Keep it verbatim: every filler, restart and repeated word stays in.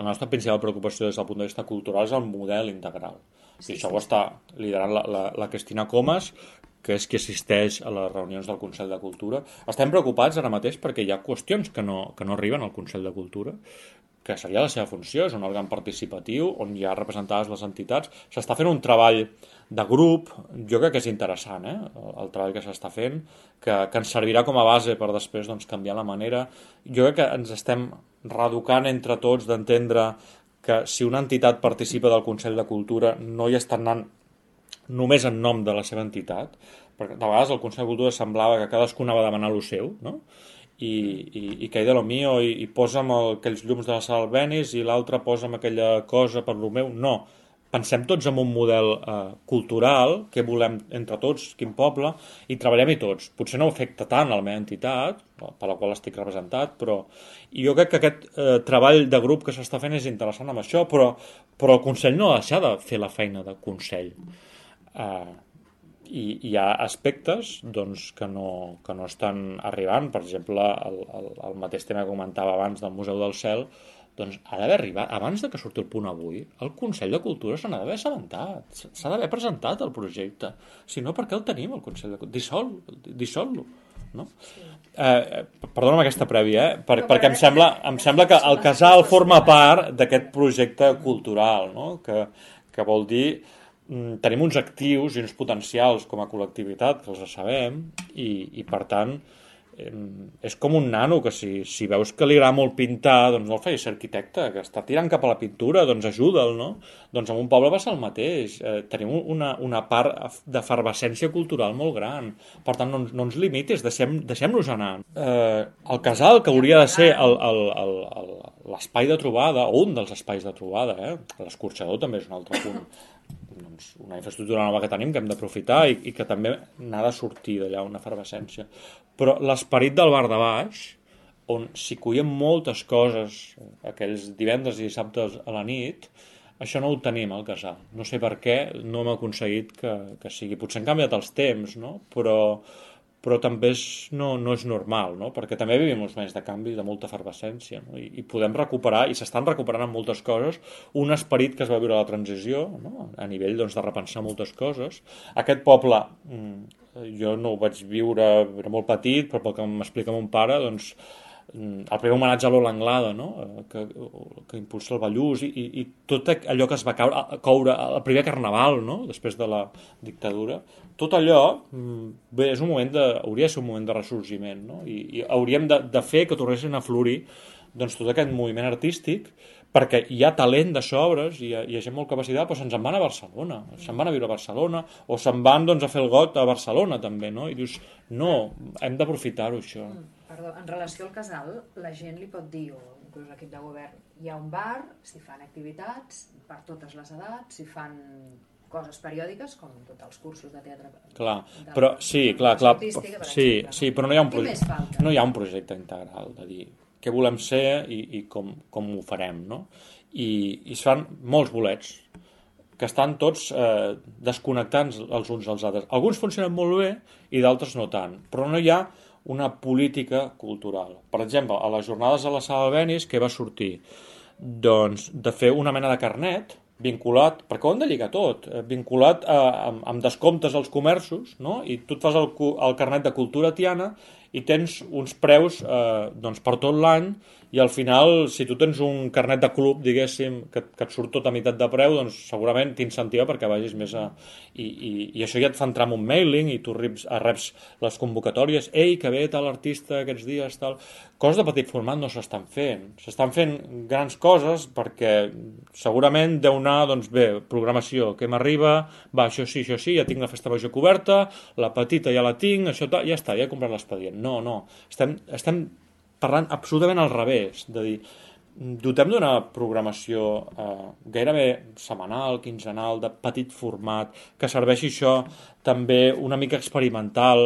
la nostra principal preocupació des del punt de vista cultural és el model integral. Sí, I això sí, ho sí. està liderant la, la, la Cristina Comas, que és qui assisteix a les reunions del Consell de Cultura. Estem preocupats ara mateix perquè hi ha qüestions que no, que no arriben al Consell de Cultura, que seria la seva funció, és un òrgan participatiu on hi ha representades les entitats. S'està fent un treball de grup, jo crec que és interessant, eh? el, el treball que s'està fent, que, que ens servirà com a base per després doncs, canviar la manera. Jo crec que ens estem reeducant entre tots d'entendre que si una entitat participa del Consell de Cultura no hi està anant només en nom de la seva entitat, perquè de vegades el Consell de Cultura semblava que cadascú anava a demanar lo seu, no? I, i, i que de lo mío, i, i posa'm el, aquells llums de la sala Albéniz i l'altre posa'm aquella cosa per lo meu. No, pensem tots en un model eh, cultural, que volem entre tots, quin poble, i treballem-hi tots. Potser no afecta tant a la meva entitat, per la qual estic representat, però i jo crec que aquest eh, treball de grup que s'està fent és interessant amb això, però, però el Consell no ha de deixar de fer la feina de Consell. Eh, i hi ha aspectes doncs, que, no, que no estan arribant. Per exemple, el, el, el mateix tema que comentava abans del Museu del Cel, doncs ha d'haver arribat, abans de que surti el punt avui, el Consell de Cultura se n'ha d'haver assabentat, s'ha d'haver presentat el projecte. Si no, per què el tenim, el Consell de Cultura? Dissol, dissol-lo. No? Sí. Eh, perdona'm aquesta prèvia, eh? per, no, perquè em sembla, em sembla que el Casal forma part d'aquest projecte cultural, no? que, que vol dir tenim uns actius i uns potencials com a col·lectivitat que els sabem i, i per tant és com un nano que si, si veus que li agrada molt pintar, doncs no el facis ser arquitecte, que està tirant cap a la pintura, doncs ajuda'l, no? Doncs en un poble va ser el mateix. Eh, tenim una, una part d'efervescència cultural molt gran. Per tant, no, no ens limitis, deixem, deixem-nos anar. Eh, el casal, que hauria de ser el, el, el, el, l'espai de trobada, o un dels espais de trobada, eh? L'escorxador també és un altre punt. Doncs una infraestructura nova que tenim que hem d'aprofitar i, i que també n'ha de sortir d'allà una efervescència. Però l'esperit del bar de baix, on s'hi cuien moltes coses aquells divendres i dissabtes a la nit, això no ho tenim al casal. No sé per què, no hem aconseguit que, que sigui. Potser han canviat els temps, no? Però, però també és, no, no és normal, no? Perquè també vivim uns moments de canvi, de molta efervescència, no? I, i podem recuperar, i s'estan recuperant en moltes coses, un esperit que es va viure a la transició, no? A nivell doncs, de repensar moltes coses. Aquest poble, jo no ho vaig viure, era molt petit, però pel que m'explica mon pare, doncs, el primer homenatge a l'Ola Anglada, no? que, que impulsa el Ballús i, i, i tot allò que es va caure, coure el primer carnaval, no? Després de la dictadura, tot allò bé, és un moment de, hauria de ser un moment de ressorgiment, no? I, i hauríem de, de fer que tornessin a florir doncs, tot aquest moviment artístic, perquè hi ha talent de sobres, hi ha, hi ha gent molt capacitat, però se'n van a Barcelona, se'n van a viure a Barcelona, o se'n van doncs, a fer el got a Barcelona també, no? I dius, no, hem d'aprofitar-ho això. Mm, perdó, en relació al casal, la gent li pot dir, o inclús l'equip de govern, hi ha un bar, s'hi fan activitats per totes les edats, s'hi fan coses periòdiques, com tots els cursos de teatre. Clar, de, però sí, clar, clar, artística, sí, exemple, sí, però no hi ha un Què més projecte, falta? no hi ha un projecte integral de dir què volem ser i, i com, com ho farem, no? I, i es fan molts bolets que estan tots eh, desconnectats els uns dels altres. Alguns funcionen molt bé i d'altres no tant, però no hi ha una política cultural. Per exemple, a les jornades a la Sala Albéniz, què va sortir? Doncs de fer una mena de carnet vinculat, perquè ho hem de lligar tot, vinculat a, amb, amb descomptes als comerços, no? I tu et fas el, el carnet de cultura tiana i tens uns preus eh, doncs per tot l'any i al final, si tu tens un carnet de club, diguéssim, que, que et surt tot a meitat de preu, doncs segurament t'incentiva perquè vagis més a... I, i, i això ja et fa entrar en un mailing i tu reps, reps les convocatòries, ei, que ve tal artista aquests dies, tal... Coses de petit format no s'estan fent. S'estan fent grans coses perquè segurament deu anar, doncs bé, programació, que m'arriba, va, això sí, això sí, ja tinc la festa major coberta, la petita ja la tinc, això tal, ja està, ja he comprat l'expedient. No, no, estem, estem parlant absolutament al revés, de dir, dotem d'una programació eh, gairebé setmanal, quinzenal, de petit format, que serveixi això també una mica experimental